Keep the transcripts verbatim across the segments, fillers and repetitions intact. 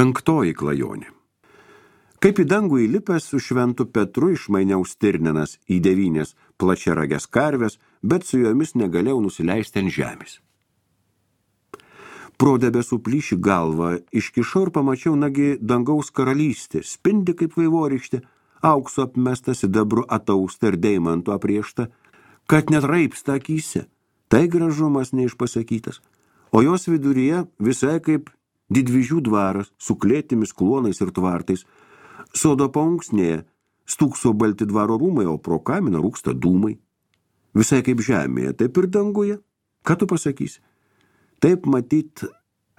Penktoji klajonė. Kaip į dangų įlipęs su šventu Petru išmainiau stirnenas į devynės plačiaragės karves, bet su jomis negalėjau nusileisti ant žemės. Pro debesų plyšį galvą iškišau ir pamačiau nagi dangaus karalystė, spindi kaip vaivorykštė, aukso apmesta, sidabru atausta ir deimantu apriešta, kad net raipsta akyse. Tai gražumas neišpasakytas, o jos viduryje visai kaip didvyžių dvaras su klėtimis, klonais ir tvartais. Sodo paunksnėje stūkso balti dvaro rūmai, o pro kaminą rūksta dūmai. Visai kaip žemėje, taip ir danguje. Ką tu pasakysi? Taip matyt,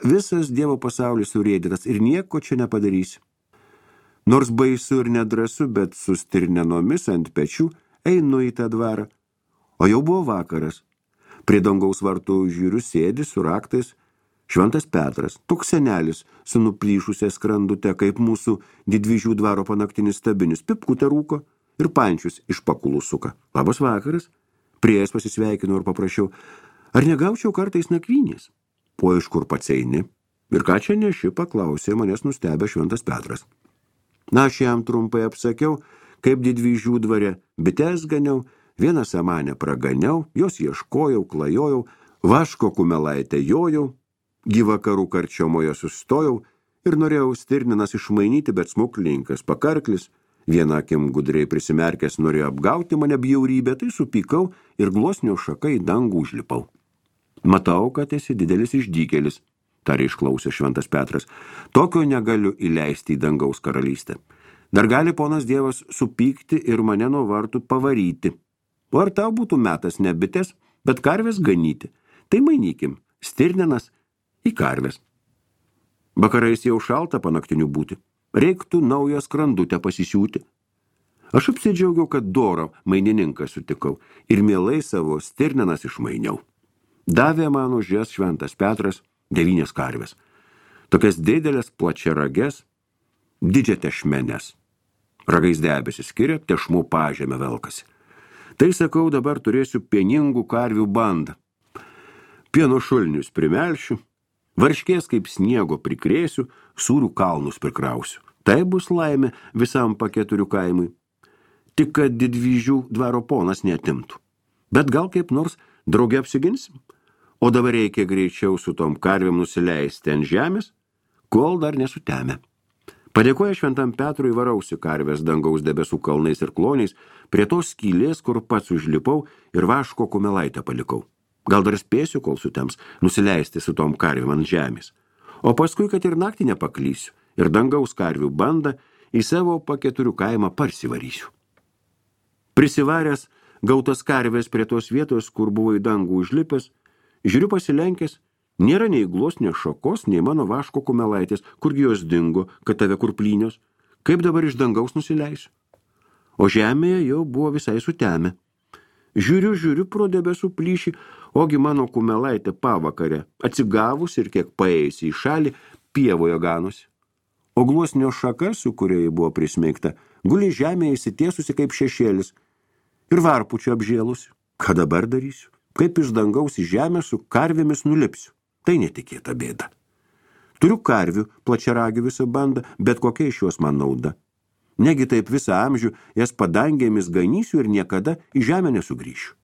visas Dievo pasaulis surėdytas ir nieko čia nepadarysi. Nors baisu ir nedrasu, bet su stirnenomis ant pečių einu į tą dvarą. O jau buvo vakaras. Prie dangaus vartų žiūriu sėdi su raktais Šventas Petras, toks senelis su nuplyšusia skrandute, kaip mūsų didvyžių dvaro panaktinis stabinis, pipkutę rūko ir pančius iš pakulų suka. Labas vakaras. Prieėjęs pasisveikinau ir paprašiau, ar negaučiau kartais nakvynės? O iš kur pats eini? Ir ką čia neši, paklausė manęs nustebę Šventas Petras. Na, aš jam trumpai apsakiau, kaip didvyžių dvare bites ganiau, vieną samanę praganiau, jos ieškojau, klajojau, vaško kumelaitę jojau, gyvakarų karčiomoje sustojau ir norėjau stirninas išmainyti, bet smuklininkas pakarklis, vieną akim gudriai prisimerkęs norėjo apgauti mane bjaurybę, tai supykau ir gluosnio šaką į dangų užlipau. Matau, kad esi didelis išdykėlis, tarė išklausė Šventas Petras. Tokio negaliu įleisti į dangaus karalystę. Dar gali ponas Dievas supykti ir mane nuo vartų pavaryti. O ar tau būtų metas ne bites, bet karvės ganyti? Tai mainykim, stirnenas į karves. Vakarais jau šalta panaktinių būti. Reiktų naują skrandutę pasisiūti. Aš apsidžiaugiau, kad dorą mainininką sutikau ir mielai savo stirnenas išmainiau. Davė man už jas Šventas Petras devynės karves. Tokias didelės plačiarages, didžią tešmenes. Ragais debesis skiria, tešmų pažemė velkasi. Tai, sakau, dabar turėsiu pieningų karvių bandą. Pieno šulnius primelšiu, varškės kaip sniego prikrėsiu, sūrių kalnus prikrausiu. Tai bus laimė visam paketurių kaimui. Tik kad didvyžių dvaro ponas neatimtų. Bet gal kaip nors drauge apsiginsim? O dabar reikia greičiau su tom karvėm nusileisti ant žemės, kol dar nesutemė. Padėkoja Šventam Petrui varausi karvės dangaus debesų kalnais ir kloniais prie tos skylės, kur pats užlipau ir vaško kumelaitę palikau. Gal dar spėsiu, kol sutems, nusileisti su tom karvėm ant žemės. O paskui, kad ir naktį nepaklysiu ir dangaus karvių bandą į savo paketurių kaimą parsivarysiu. Prisivaręs gautas karvės prie tos vietos, kur buvo į dangų užlipęs, žiūriu pasilenkęs, nėra nei gluosnio šakos, nei mano vaško kumelaitės, kurgi jos dingo, kad tave kurplynios, kaip dabar iš dangaus nusileisiu. O žemėje jau buvo visai sutemę. Žiūriu, žiūriu pro debesų plyšį, ogi mano kumelaitė pavakarė, atsigavus ir kiek paėjusi į šalį, pievoje ganosi. O gluosnio šaka, su kuria buvo prismeigta, guli žemėje įsitiesusi kaip šešėlis ir varpučiu apžėlusi. Ką dabar darysiu? Kaip iš dangaus į žemę su karvėmis nulipsiu? Tai netikėta bėda. Turiu karvių, plačiaragių visą bandą, bet kokia iš juos man nauda. Negi taip visą amžių jas padangėmis ganysiu ir niekada į žemę nesugrįšiu.